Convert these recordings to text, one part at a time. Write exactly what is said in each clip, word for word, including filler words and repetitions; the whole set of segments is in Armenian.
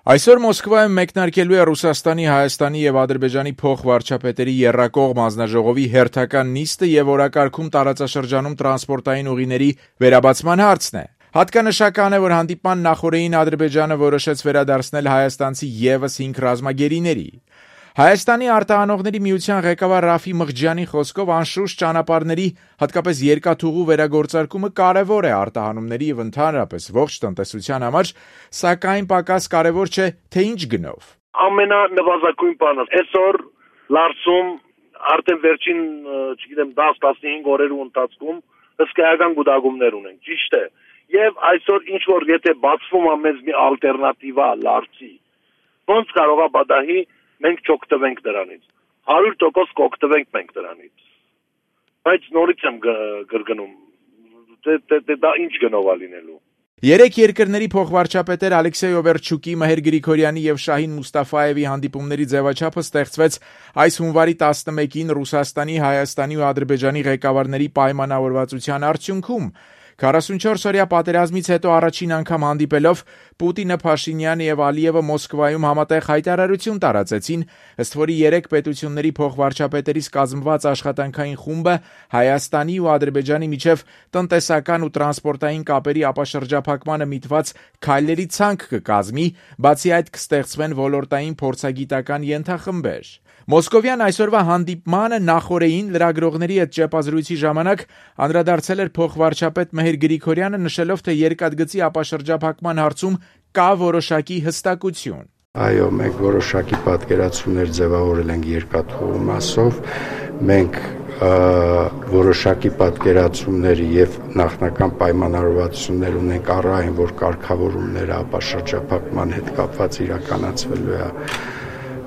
Այսօր Մոսկվայում մեկնարկելու է Ռուսաստանի, Հայաստանի եւ Ադրբեջանի փոխվարչապետերի եռակողմ հանձնաժողովի հերթական նիստը եւ օրակարգում տարածաշրջանում տրանսպորտային ուղիների վերաբացման հարցն է։ Հատկանշական է, որ հանդիպման նախօրեին Ադրբեջանը որոշեց վերադարձնել հայաստանցի եւս հինգ ռազմագերիների։ Հայաստանի արտահանողների միության ղեկավար Ռաֆի Մղջյանի խոսքով անշուշտ ճանապարհների, հատկապես երկաթուղու վերագործարկումը կարևոր է արտահանումների եւ ընդհանրապես ողջ տնտեսության համար, սակայն պակաս կարևոր չէ, թե ինչ գնով։ Ամենանվազագույն բանը այսօր Լարսում արդեն վերջին, չգիտեմ, դաս տասնհինգ օրերու ընթացքում հսկայական գուտակումներ ունենք, ճիշտ է։ Եվ այսօր ինչ որ եթե բացվում է մեզ մի ալտերնատիվա Լարսի, ոնց կարող է պատահի մենք չօգտվենք դրանից, հարյուր տոկոս կօգտվենք մենք դրանից, բայց նորից եմ գրգնում, դա ինչ գնով է լինելու։ Երեք երկրների փոխվարչապետեր Ալեքսեյ Օվերչուկի, Մհեր Գրիգորյանի եւ Շահին Մուստաֆաևի հանդիպումների ձևաչափը ստեղծվեց այս հունվարի տասնմեկին Ռուսաստանի, Հայաստանի ու Ադրբեջանի ղեկավարների պայմանավորվածության արդյունքում։ քառասունչորս օրյա պատերազմից հետո առաջին անգամ հանդիպելով Պուտինը, Փաշինյանը եւ Ալիևը Մոսկվայում համատեղ հայտարարություն տարածեցին, ըստ որի երեք պետությունների փոխվարչապետերից կազմված աշխատանքային խումբը Հայաստանի ու Ադրբեջանի միջև տնտեսական ու տրանսպորտային կապերի ապաշրջափակմանը միտված քայլերի ցանկ կկազմի, բացի այդ կստեղծվեն ոլորտային փորձագիտական ենթախմբեր։ Մոսկովյան այսօրվա հանդիպմանը նախօրեին լրագրողների հետ ճեպազրույցի ժամանակ անդրադարձել էր փոխվարչապետ Մհեր Գրիգորյանը, նշելով, թե երկաթգծի ապաշրջափակման հարցում կա որոշակի հստակություն։ Այո, մենք որոշակի պատկերացումներ ձևավորել ենք երկաթուղու մասով, մենք որոշակի պատկերացումներ եւ նախնական պայմանավորվածություններ ունենք առայն, որ կարգավորումները ապաշրջափակման հետ կապված իրականացվելու է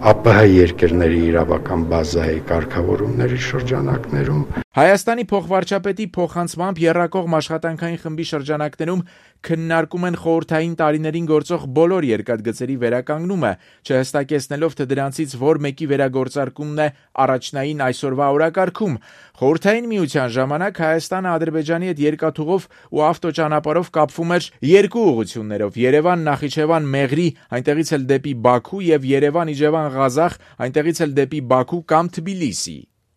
ԱՊՀ երկրների իրավական բազայի կարգավորումների շրջանակներում։ Հայաստանի փոխվարչապետի փոխանցմամբ եռակողմ աշխատանքային խմբի շրջանակներում քննարկում են խորհրդային տարիներին գործող բոլոր երկաթգծերի վերականգնումը, չհստակեցնելով, թե դրանցից որ մեկի վերագործարկումն է առաջնային այսօրվա օրակարգում։ Խորհրդային միության ժամանակ Հայաստանը Ադրբեջանի հետ երկաթուղով ու ավտոճանապարհով կապվում էր երկու ուղղություններով՝ Երևան, Նախիջևան, Մեղրի, այնտեղից էլ դեպի Բաքու եւ Երևան, Իջևան, Ղազախ, այնտեղից էլ դեպի Բաքու կամ Թբիլիսի։